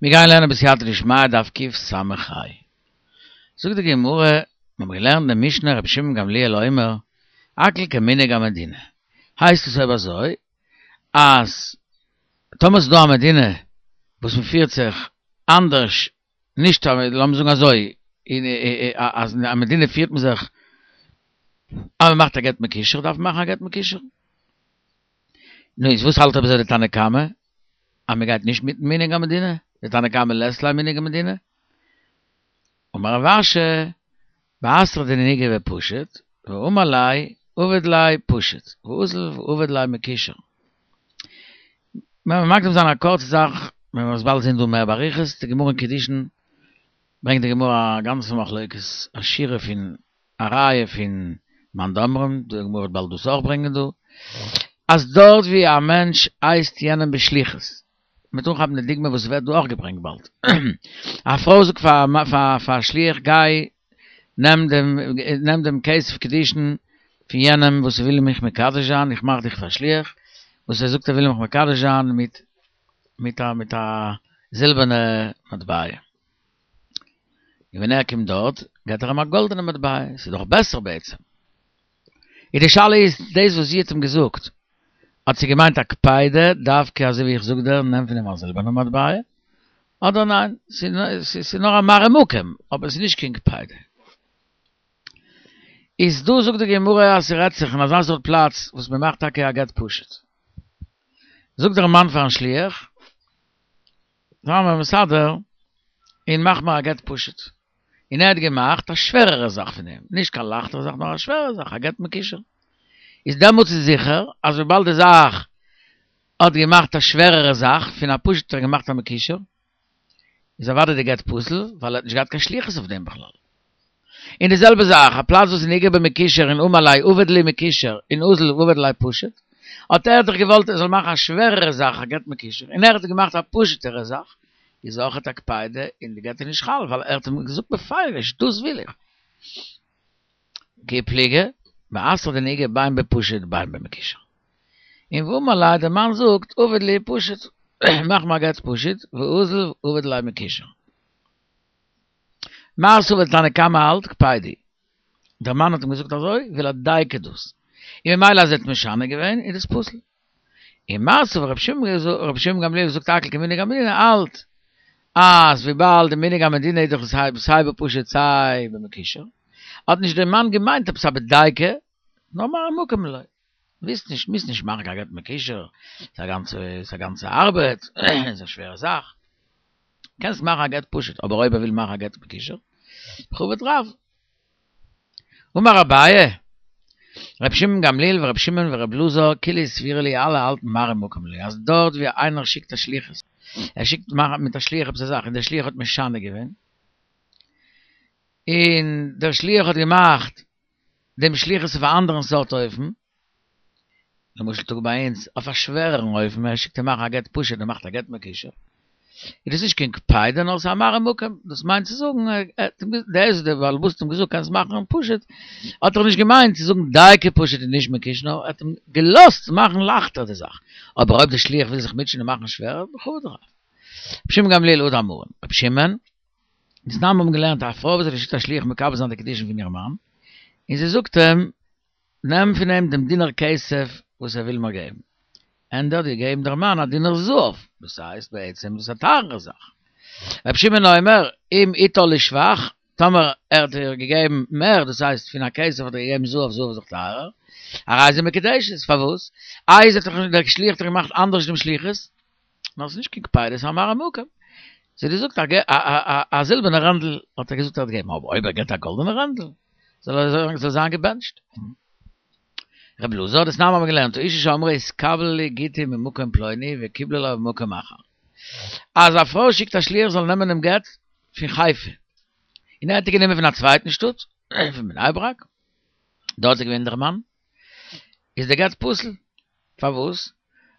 מיר גייען לערנען בסייעתא דשמיא דף קס"ה. זאגט די גמרא, מיר האבן געלערנט אין די משנה רבי שמעון גמליאל אומר, הכל כמנהג המדינה. הייסט עס אויב אזוי, אז טאמער ס'איז דא א מדינה וואס מ'פירט זיך אנדערש, נישט לאמיר זאגן אזוי, אז אין א מדינה פירט מען זיך אז מ'מאכט א גט מקושר דארף מען מאכן א גט מקושר. נו איז וואס האלט אויב אזוי די תנא קמא? אז מען גייט נישט מיטן מנהג המדינה? די תנא קמא לית ליה מנהג המדינה? אמר רב אשי, בתרא דנהיגי בפשוט, ואמר ליה עביד ליה פשוט, ואזל ועביד ליה מקושר. מען מקדים זיין א קורצע זאך, מען וועט עס באלד זען דא מער באריכות, די גמרא אין קידושין ברענגט די גמרא א גאנצע מחלוקת, א שורה פון א רייע פון מאן דאמרים, די גמרא וועט באלד דאס אויך ברענגען דא, אז דארט ווי א מענטש הייסט יענעם בשליחות, מ'וועט אנכאפן די דוגמא וואס ווערט דא אויך געברענגט באלד, א פרוי זאגט פאר א שליח גיי נעם דעם נעם דעם כסף קידושין פון יענעם וואס וויל מיך מקדש זיין, איך מאך דיך פאר שליח, וואס ער זאגט ער וויל מיך מקדש זיין מיט מיט א מיט א זילבערנע מטבע. און ווען ער קומט דארט געט ער אים א גאלדענע מטבע, ס'איז דאך בעסער בעצם. און די שאלה איז, דאס וואס זי האט אים געזאגט, האט זי געמיינט א קפידה דווקא אזוי ווי איך זאג דיר, נעם פון אים א זילבערנע מטבע, אדער ניין, ס'איז נאר א מראה מקום, אבער ס'איז נישט קיין קפידה. איז דא זאגט די גמרא אז ס'רעדט זיך אין אזא סארט פלאץ וואס מ'מאכט טאקע א גט פשוט. זאגט דער מאן פארן שליח, זיי מיר מסדר און מאך מיר א גט פשוט. און ער האט געמאכט א שווערערע זאך פון דעם, נישט קיין לייכטערע זאך נאר א שווערע זאך, א גט מקושר. איז דעמאלטס איז זיכער אז וויבאלד די זאך האט געמאכט א שווערערע זאך פון א פשוט האט ער געמאכט א מקושר, איז אוודאי די גט פסול ווייל ער האט נישט געהאט קיין שליחות אויף דעם בכלל. און די זעלבע זאך, א פלאץ וואס איז נהיגי במקושר און אמר ליה עביד לי מקושר און אזל ועביד ליה פשוט, האט ער דאך געוואלט ער זאל מאכן א שווערערע זאך א גט מקושר, און ער האט געמאכט א פשוט'ערע זאך, איז אויכעט א קפידה און די גט איז נישט חל ווייל ער האט אים געזאגט בפירוש דאס וויל איך. כי פליגי, בתרא דנהיגי בין בפשוט בין במקושר. און ואמר ליה דער מאן זאגט עביד לי פשוט, מאך מיר א גט פשוט, ואזל ועביד ליה מקושר. מר סבר תנא קמא האלט קפידא. דער מאן האט אים געזאגט אזוי וויל ער דייקא דאס. און ממילא אז ער האט משנה געווען איז דאס פסול. און מר סבר רבי שמעון גמליאל זאגט הכל כמנהג המדינה האלט אז וויבאלד די מנהג המדינה איז דאך סיי בפשוט סיי במקושר האט נישט דער מאן געמיינט עפעס א בדייקא נאר מראה מקום לו. ווילסט נישט מוזט נישט מאכן קיין גט מקושר, ס'איז א גאנצע ס'איז א גאנצע ארבעט, ס'איז א שווערע זאך. קענסט מאכן א גט פשוט, אבער אויב ער וויל מאכן א גט מקושר, בכבוד רב. אמר אביי, ר' שמעון גמליאל ור' שמעון ור' אלעזר כולהו סבירא להו אלע האלטן מראה מקום לו, אז דארט ווי איינער שיקט א שליחות, ער שיקט מאכן מיט א שליח עפעס א זאך און דער שליח האט משנה געווען, און דער שליח האט געמאכט דעם שליחות אויף א אנדערן סארט אופן, למשל טאג ביי אונז, אויף א שווערערן אופן, ער שיקט אים מאכן א גט פשוט, ער מאכט א גט מקושר, איז דאס נישט קיין קפידא נאר ס'איז א מראה מקום, דאס מיינט צו זאגן, דער דער בעל הבית האט אים געזאגט קענסט מאכן פשוט, האט ער נישט געמיינט צו זאגן דייקא פשוט און נישט מקושר, נאר ער האט אים געלאזט מאכן לייכטער די זאך, אבער אויב דער שליח וויל זיך מוטשען און מאכן שווערער, בכבוד רב. רבי שמעון גמליאל הא דאמרן, רבי שמעון, דתנן מיר האבן געלערנט א פרוי וואס האט געשיקט א שליח מקבל זיין די קידושין פון איר מאן, און זי זאגט אים, נעם פון אים דעם דינר כסף וואס ער וויל מיר געבן. און ער האט געגעבן דער מאן א דינר זהב, דאס הייסט בעצם דאס איז א טייערערע זאך. רבי שמעון אומר, אם הטעה לשבח, טאמער ער האט איר געגעבן מער, דאס הייסט פון א כסף האט ער געגעבן זהב, זהב איז דאך טייערער, הרי זו מקודשת, פארוואס? איי זי האט דאך דער שליח האט דאך געמאכט אנדערש דעם שליחות? נאר ס'איז נישט קיין קפידא, ס'איז א מראה מקום. זי האט געזאגט א זילבערנע רענדל האט ער געזאגט ער האט געגעבן, אבער אויב ער געבט א גאלדענע רענדל זאל ער זאל זיין געבענטשט. רבי אלעזר דתנן מיר האבן געלערנט האשה שאמרה התקבל לי גיטי ממקום פלוני וקיבלה לה ממקום אחר. אז א פרוי שיקט א שליח זאל נעמען דעם גט פון חיפה, און ער האט גענומען פון א צווייטן שטאט, פון בני ברק, דארט איז געווען דער מאן, איז דער גט פסול. פארוואס?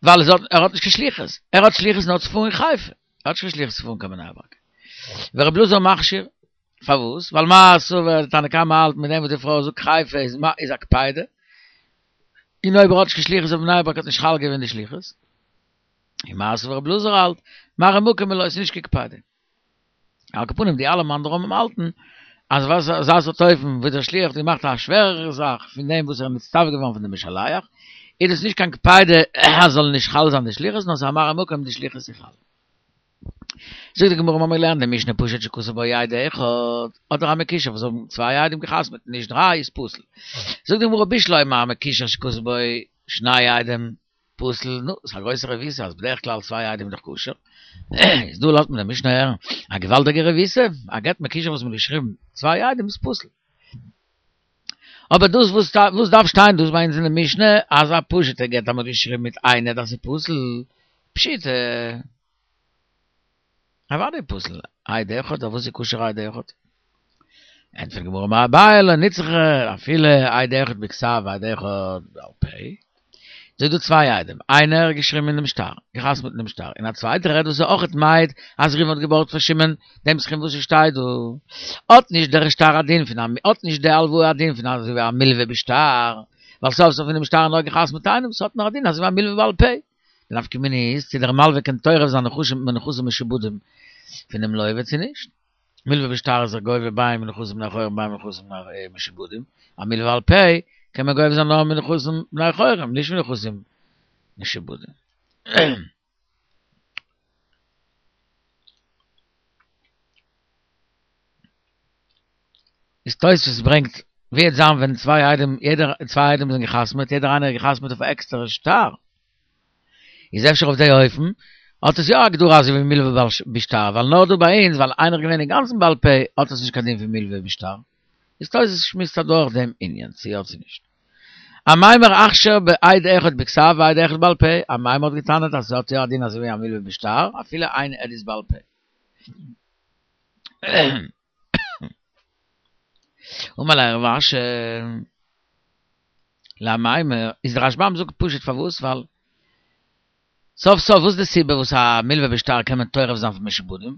ווייל עס האט ער האט נישט קיין שליחות, ער האט שליחות נאר צו פארן אין חיפה, ער האט נישט קיין שליחות צו פארן קיין בני ברק. ורבי אלעזר מכשיר, פארוואס? ווייל מר סבר די תנא קמא האלט מיט דעם וואס די פרוי זאגט חיפה איז איז א קפידא, און אויב ער האט נישט קיין שליחות אויף בני ברק האט נישט חל געווען די שליחות. און מר סבר רבי אלעזר האלט, מראה מקום היא לא, ס'איז נישט קיין קפידא. על כל פנים די אלע מאן דאמרים האלטן אז וואס אזא סארט אופן וואס דער שליח האט געמאכט א שווערערע זאך פון דעם וואס ער איז נצטווה געווארן פון די משלח, איז דאס נישט קיין קפידא אז זאל נישט חל זיין די שליחות נאר ס'איז א מראה מקום די שליחות איז חל. זאגט די גמרא מ'האמיר געלערנט די משנה פשוט שכתב בו עד אחד אדער א מקושר וואס האבן צוויי עדים געחתמעט נישט דריי איז פסול. זאגט די גמרא בשלמא מקושר שכתב בו שני עדים פסול, נו, ס'איז א גרויסע רבותא אז בדרך כלל צוויי עדים איז דאך כשר. איז דא לאזט מען די משנה הערן א געוואלדיגע רבותא, א גט מקושר וואס מ'האט געשריבן צוויי עדים איז פסול. אבער דאס וואס וואס דארף שטיין דאס ביי אונז אין די משנה אז א פשוט'ע גט אז מ'האט געשריבן מיט איין עד אז ס'איז פסול, פשיטא. אוודאי פסול, עד אחד, אויף וואס איז כשר עד אחד? ענטפערט די גמרא אמר אביי לא נצרכא אפילו עד אחד בכתב ועד אחד בעל פה, ס'איז דא צוויי עדים, איינער האט געשריבן אין דעם שטר, געחתמעט אין דעם שטר, און א צווייטער עד וואס איז אויכעט מעיד אז ראובן האט געבארגט פאר שמעון דעם סכום וואס עס שטייט דא, האט נישט דער שטר א דין פון א האט נישט די הלוואה א דין פון אזוי ווי א מלווה בשטר, ווייל סוף סוף אין דעם שטר נאר געחתמעט איינעם, ס'האט נאר א דין אזוי ווי א מלווה בעל פה. די נפקא מינה איז צו דער מלווה קען טורף זיין נכסים מנכסים משועבדים פונעם לווה צו נישט. מלווה בשטר איז ער גובה בין מנכסים בני חורין בין מנכסים משועבדים, א מלווה בעל פה קען מען גובה זיין נאר מנכסים בני חורין נישט מנכסים משועבדים. איז תוספות ברענגט ווי וועט זיין ווען צוויי עדים יעדער צוויי עדים זענען געחתמעט יעדער איינער האט געחתמעט אויף א עקסטערע שטר איז אפשר אויף די אופן האט עס יא א הגדרה אזוי ווי מלווה בשטר ווייל נאר דא ביי אונז ווייל איינער איז געווען אינגאנצן בעל פה האט עס נישט קיין דין פון מלווה בשטר איז תוספות שמועסט אדורך דעם ענין צו יא צו נישט. אמימר אכשר בעד אחד בכתב ועד אחד בעל פה, אמימר האט געטענה'ט אז ס'האט יא א דין אזוי ווי א מלווה בשטר אפילו איין עד איז בעל פה. אמר ליה רב אשי לאמימר, איז דער רשב"ם זאגט פשוט פארוואס ווייל סוף סוף וואס איז די סיבה וואס א מלווה בשטר קען מען טורף זיין פון משועבדים?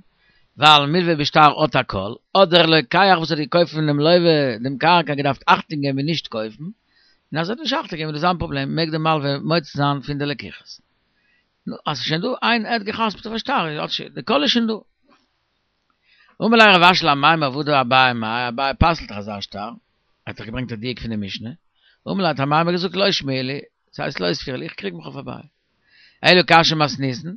ווייל מלווה בשטר האט א קול, האט דער לוקח וואס האט געקויפט פונעם לווה דעם קרקע געדארפט אכטונג געבן און נישט קויפן, און אז ער האט נישט אכטונג געגעבן איז דאס זיין פראבלעם מעג דער מלווה מוציא זיין פון די לקיחות. נו, אז ס'איז שוין דא איין עד געחתמ'ט אויף א שטר, האט שוין, די קול איז שוין דא. אמר ליה רב אשי לאמימר והא דאביי מאי, אביי פסל'ט דאך אזא שטר, ער האט דאך געברענגט א דיוק פון די משנה, אמר ליה האט אמימר געזאגט לא שמיע לי, ס'הייסט לא סבירא לי, איך קריג מיך אויף אביי. אלא קשיא מתניתין,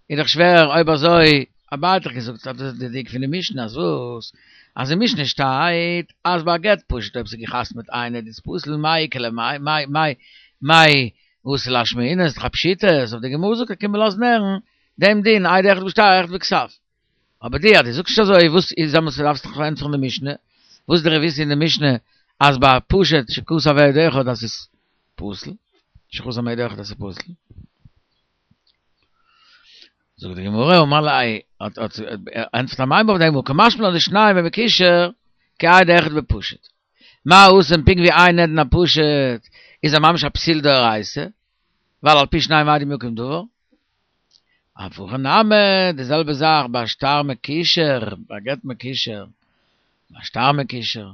איז דאך שווער אויב אזוי, אביי האט דאך געזאגט אז דאס איז די דיוק פון די משנה, אז וואס? אז אין משנה שטייט אז ביי א גט פשוט אויב ס'איז געחתמ'ט איין עד איז פסול, מאי איכא למאי, מאי מאי מאי אתא לאשמועינן, איז דאך א פשיטא, אויף די גמרא זאגט ער קום מיר לאזן הערן דעם דין עד אחד בשטר אחד בכתב. אבער די אז דו זאגסט נישט אזוי וואס איז דעמאלטס דארפסטו דאך פארענטפערן די משנה, וואס איז די רבותא אין די משנה אז ביי פשוט שכתב עד אחד אז ס'איז פסול, שחתם עד אחד אז ס'איז פסול. זאגט די גמרא אמר ליה האט האט ענטפערט אמימר אויף דעם קא משמע לן דשניים במקושר כעד אחד בפשוט. מה התם פונקט ווי איין עד אין א פשוט איז ער ממש א פסול דאורייתא, ווייל על פי שניים עדים יקום דבר. אף הכא נמי, די זעלבע זאך ביי שטר מקושר, ביי גט מקושר, ביי שטר מקושר,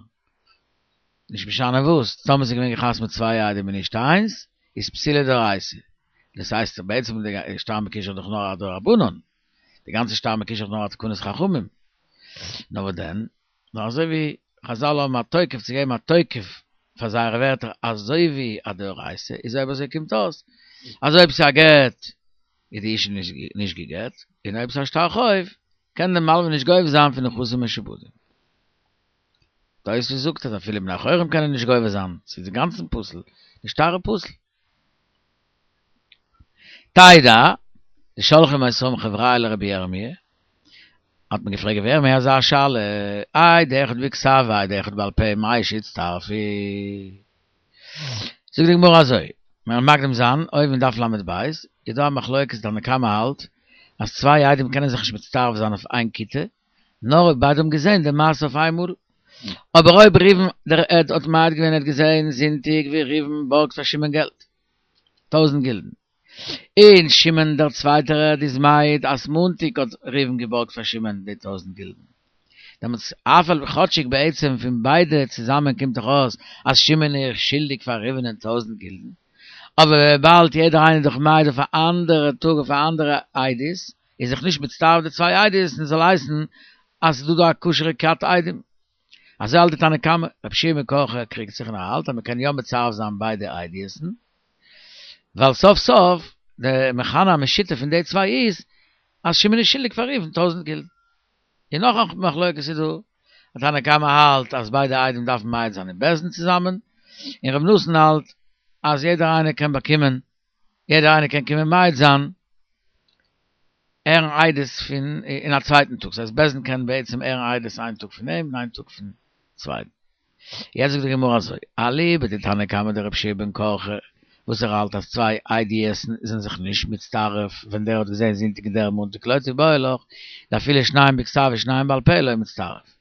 נישט משנה וואס, טאמער ס'איז געווען געחתמ'ט צוויי עדים און נישט איינס, איז פסולו דאורייתא. דאס הייסט בעצם די שטר מקושר איז דאך נאר א דרבנן, די גאנצע שטר מקושר איז נאר א תקנת חכמים. נאר וואס דען? נאר אזוי ווי חזל האבן א תוקף צו געבן א תוקף פאר זייערע ווערטער אזוי ווי א דאורייתא איז אויב אזוי קומט אויס אז אויב ס'איז א גט איז די אישה נישט גע'גט און אויב ס'איז א שטר חוב קען די מלווה נישט גובה זיין פון נכסים משועבדים. תוספות זאגט אז אפילו בני חורין קענען נישט גובה זיין, ס'איז אינגאנצן פסול, די שטר איז פסול. תדע, דשלחין אותן חבריא לרבי ירמי', האט מען געפרעגט רבי ירמי' אזא שאלה, עד אחד בכתב ועד אחד בעל פה מהו שיצטרפו? זאגט די גמרא אזוי, מיר וועלן מקדים זיין, אויבן אין דף ל"ב איז דא א מחלוקת תנא קמא האלט אז צוויי עדים קענען זיך נישט מצטרף זיין אויף איין כיתה, נאר אויב ביידע האבן געזען די מעשה אויף איינמאל. אבער אויב ראובן דער עד האט מעיד געווען ער האט געזען זונטאג ווי ראובן בארגט פאר שמעון געלט, טויזנט גילדן, און שמעון דער צווייטער עד איז מעיד אז מאנטאג האט ראובן געבארגט פאר שמעון די טויזנט גילדן, דעמאלטס אף על כאטשיג בעצם פון ביידע צוזאמען קומט דאך אויס אז שמעון איז שולדיג פאר ראובן'ען טויזנט גילדן. אבער וויבאלד יעדער איינער איז דאך מעיד אויף א אנדערע טאג אויף א אנדערע עדות, איז זיך נישט מצטרף די צוויי עדות און זאל הייסן אז ס'איז דא דא א כשר'ע כת עדים. אזוי האלט די תנא קמא, רבי יהושע בן קרחה קריגט זיך און ער האלט אז מ'קען יא מצרף זיין ביידע עדות'ן, ווייל סוף סוף די מכנה המשותף פון די צוויי איז אז שמעון איז שולדיג פאר ראובן טויזענט גילדן. און נאך א מחלוקת איז דא, אז תנא קמא האלט אז ביידע עדים דארפן מעיד זיין אין בית דין צוזאמען, און רבי נתן האלט אז יעדער איינער קען באקומען, יעדער איינער קען קומען מעיד זיין, הערן עדות פון אין א צווייטן טאג, ס'הייסט בית דין קען בעצם הערן עדות איין טאג פון אים און איין טאג פון צווייטן. יעצט זאגט די גמרא אזוי, אליבא דתנא קמא דרבי יהושע בן קרחה, וואס ער האלט אז צוויי עדות'ן זענען זיך נישט מצטרף ווען דער האט געזען זונטאג און דער מאנטאג לא תיבעי לך, דאפילו שניים בכתב ושניים בעל פה לא מצטרף.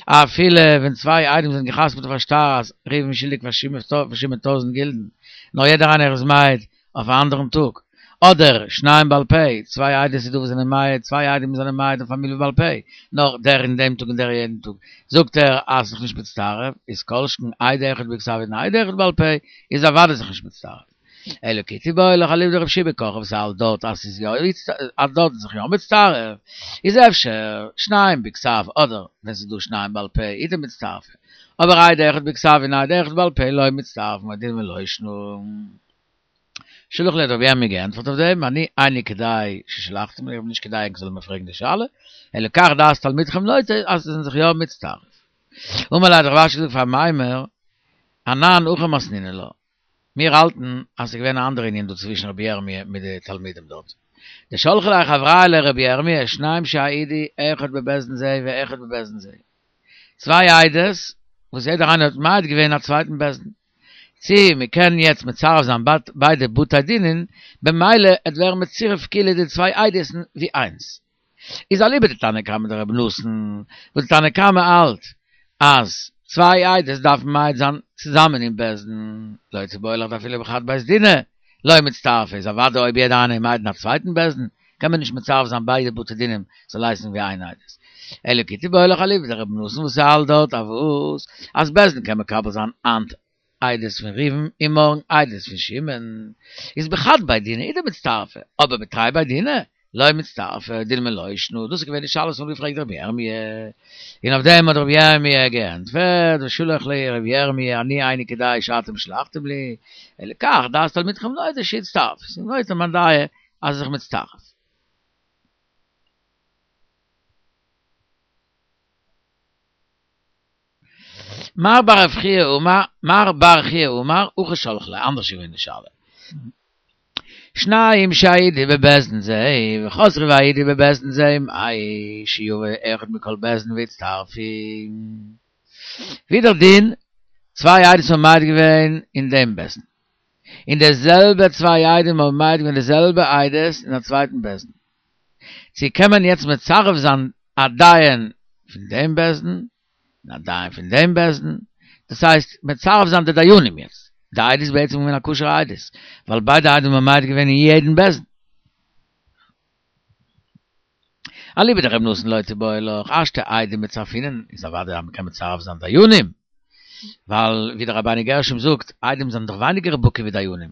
אפילו ווען צוויי עדים זענען געחתמ'ט אויף א שטר אז ראובן איז שולדיג פאר שמעון טויזענט גילדן, נאר יעדער איינער איז מעיד אויף א אנדערן טאג, אדער שניים בעל פה, צוויי עדות איז דא וואס זענען מעיד, צוויי עדים זענען מעיד אויף א מלוה בעל פה, נאר דער אין דעם טאג און דער יענעם טאג, זאגט ער אז זיך נישט מצטרף, איז כל שכן עד אחד בכתב און עד אחד בעל פה, איז אוודאי זיך נישט מצטרף. אלא כי תיבעי לך אליבא דרבי יהושע בן קרחה וואס האלט דארט אז ס'איז יא אז דארט איז זיך יא מצטרף, איז אפשר שניים בכתב אדער ווען ס'איז דא שניים בעל פה איז דמצטרפי, אבער עד אחד בכתב און עד אחד בעל פה לא מצטרפין או דילמא לא שנא. שלח ליה האט רבי ירמי' געענטפערט אויף דעם, אני איני כדאי ששלחתם לי, איך בין נישט כדאי ענק זאלן מיר פרעגן די שאלה, אלא כך דעת תלמידכם נוטה אז זיי זענען זיך יא מצטרף. אמר ליה האט רב אשי געזאגט פאר אמימר, אנן הכי מתנינן לה, מיר האלטן אז ס'איז געווען א אנדערע ענין דא צווישן רבי ירמי' מיט די תלמידים דארט. דשלחו ליה חברייא לרבי ירמי' שניים שהעידו אחד בבית דין זה ואחד בבית דין זה. צוויי עדות וואס יעדער איינער האט מעיד געווען אין א צווייטן בית דין. צי מ'קען יעצט מצרף זיין ביידע בתי דינין, במילא עט ווערן מצורף כאילו די צוויי עדות'ן ווי איינס. איז אליבא דתנא קמא דרבי נתן, וואס די תנא קמא האלט אז צוויי עדות דארפן מעיד זיין צוזאמען אין בית דין, לא תיבעי לך דאפילו בחד בית דינא לא מצטרפי, איז אוודאי אויב יעדער איינער איז מעיד אין א צווייטן בית דין, קען מען נישט מצרף זיין ביידע בתי דינים זאל הייסן ווי איין עדות. אלא כי תיבעי לך אליבא דרבי נתן וואס האלט דארט אז וואס אז בית דין קען מקבל זיין היינט עדות פון ראובן און מארגן עדות פון שמעון, איז בחד בי דינא איז דמצטרפי, אבער בתרי בי דינא לא מצטרפי, דילמא לא שנא, דאס איז געווען די שאלה וואס מ'האט געפרעגט רבי ירמי', און אויף דעם האט רבי ירמי' געענטפערט, ושלח ליה רבי ירמי' אני איני כדאי שאתם שלחתם לי, אלא כך דעת תלמידכם נוטה שיצטרף, ס'איז נוטה מיין דעה אז זיך מצטרף. מר בר רב חייא אמר, מר בר חייא אמר, הכי שלחו ליה, אנדערש איז געווען די שאלה. שניים שהעידו בבית דין זה, וחזרו והעידו בבית דין זה, מהו שיבוא אחד מכל בית דין ויצטרפו. ווי דער דין, צוויי עדות האבן מעיד געווען אין דעם בית דין. און די זעלבע צוויי עדים האבן מעיד געווען די זעלבע עדות אין א צווייטן בית דין. צו קען מען יעצט מצרף זיין א דיין פון דעם בית דין און א דיין פון דעם בית דין, דאס הייסט מצרף זיין די דיינים יעצט, די עדות איז בעצם געווען א כשר'ע עדות, ווייל ביידע עדים האבן מעיד געווען אין יעדן בית דין. אליבא דרבי נתן לא תיבעי לך, השתא עדים מצרפינן, איז אוודאי אז מ'קען מצרף זיין דיינים, ווייל ווי דער רבינו גרשום זאגט, עדים זענען דאך ווייניגער בקי ווי דיינים,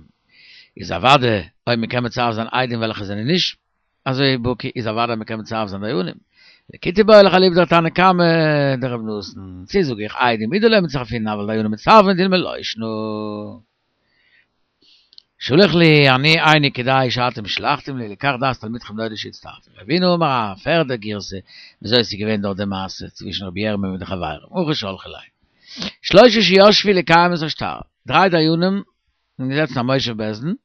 איז אוודאי אויב מ'קען מצרף זיין עדים וועלכע זענען נישט אזוי בקי, איז אוודאי מ'קען מצרף זיין דיינים. כי תיבעי לך אליבא דתנא קמא דרבי נתן, צו זאג איך עדים הוא דלא מצרפינן אבל דיינים מצטרפין דילמא לא שנא. שלח ליה אני איני כדאי שאתם שלחתם לי אלא כך דעת תלמידכם נוטה שיצטרפו. רבינא אמר א פערדע גירסא וויאזוי עס איז געווען דארט די מעשה צווישן רבי ירמי' מיט די חברים, הכי שלחו ליה. שלושה שישבו לקיים את השטר, דריי דיינים זענען געזעצן א מושב בית דין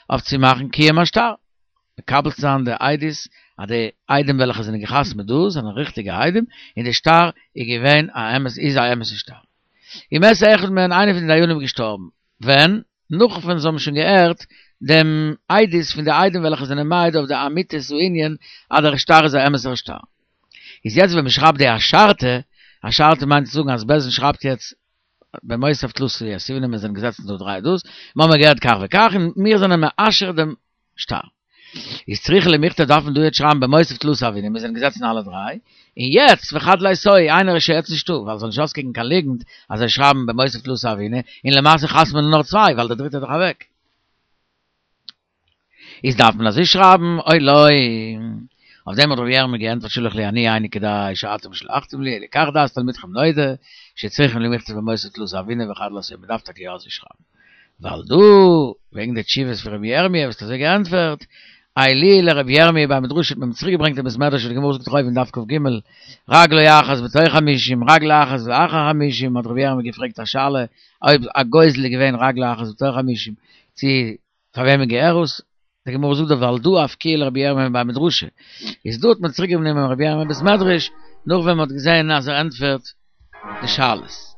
אויף צו מאכן קיום השטר, מקבל צו זיין די עדות אז די עדים וועלכע זענען געחתמ'ט דא זענען ריכטיגע עדים און די שטר איז געווען א אמת איז א אמת'ע שטר. ומת אחד מהן איינער פון די דיינים איז געשטארבן, ווען? נאך ווען זיי האבן שוין געהערט דעם עדות פון די עדים וועלכע זענען מעיד אויף די אמיתית הענין אז דער שטר איז א אמת'ער שטר. איז יעצט ווען מ'שרייבט די אשרתא, אשרתא מיינט צו זאגן אז בית דין שרייבט יעצט במותב תלתא יתיבנא מיר זענען געזעצן דא דריי דאס, מיר האבן געהערט כך וכך און מיר זענען מאשר דעם שטר. איז צריכי למיכתב דארף מען דא יעצט שרייבן במותב תלתא הוינן מיר זענען געזעצן אלע דריי, און יעצט וחד ליתאי איינער איז שוין יעצט נישטא ווייל ס'זאל נישט אויסקוקן קיין ליגנט אז זיי שרייבן במותב תלתא הוינן און למעשה חתמ'נען נאר צוויי ווייל דער דריטער איז דאך אוועק. איז דארף מען אזוי שרייבן או לא? אויף דעם האט רבי ירמי' געענטפערט שלח לי אני איני כדאי שאתם שלחתם לי, אלא כך דעת תלמידכם נודע, שצריכים למכתב במותר תלתא הוינן וחד לא מען דארף טאקע יא אזוי שרייבן. ועל דא, וועגן די תשובות פון רבי ירמי' וואס האט אזוי געענטפערט, עיילוהו לרבי ירמי' בי מדרשא האט מען צוריק געברענגט אין בית מדרש ווי די גמרא זאגט דאך אויבן דף כ"ג, רגלו אחת בתוך חמישים, רגלו אחת לאחר חמישים, האט רבי ירמי' געפרעגט א שאלה, אויב א גוזל איז געווען רגלו אחת בתוך חמישים, צו פאר וועמען געהער עס? די גמרא זאגט דאך ועל דא אפקוהו לרבי ירמי' בי מדרשא, איז דא האט מען צוריק גענומען רבי ירמי' בית מדרש, נאך ווען מען האט געזען אז ער ענטפערט די שאלות.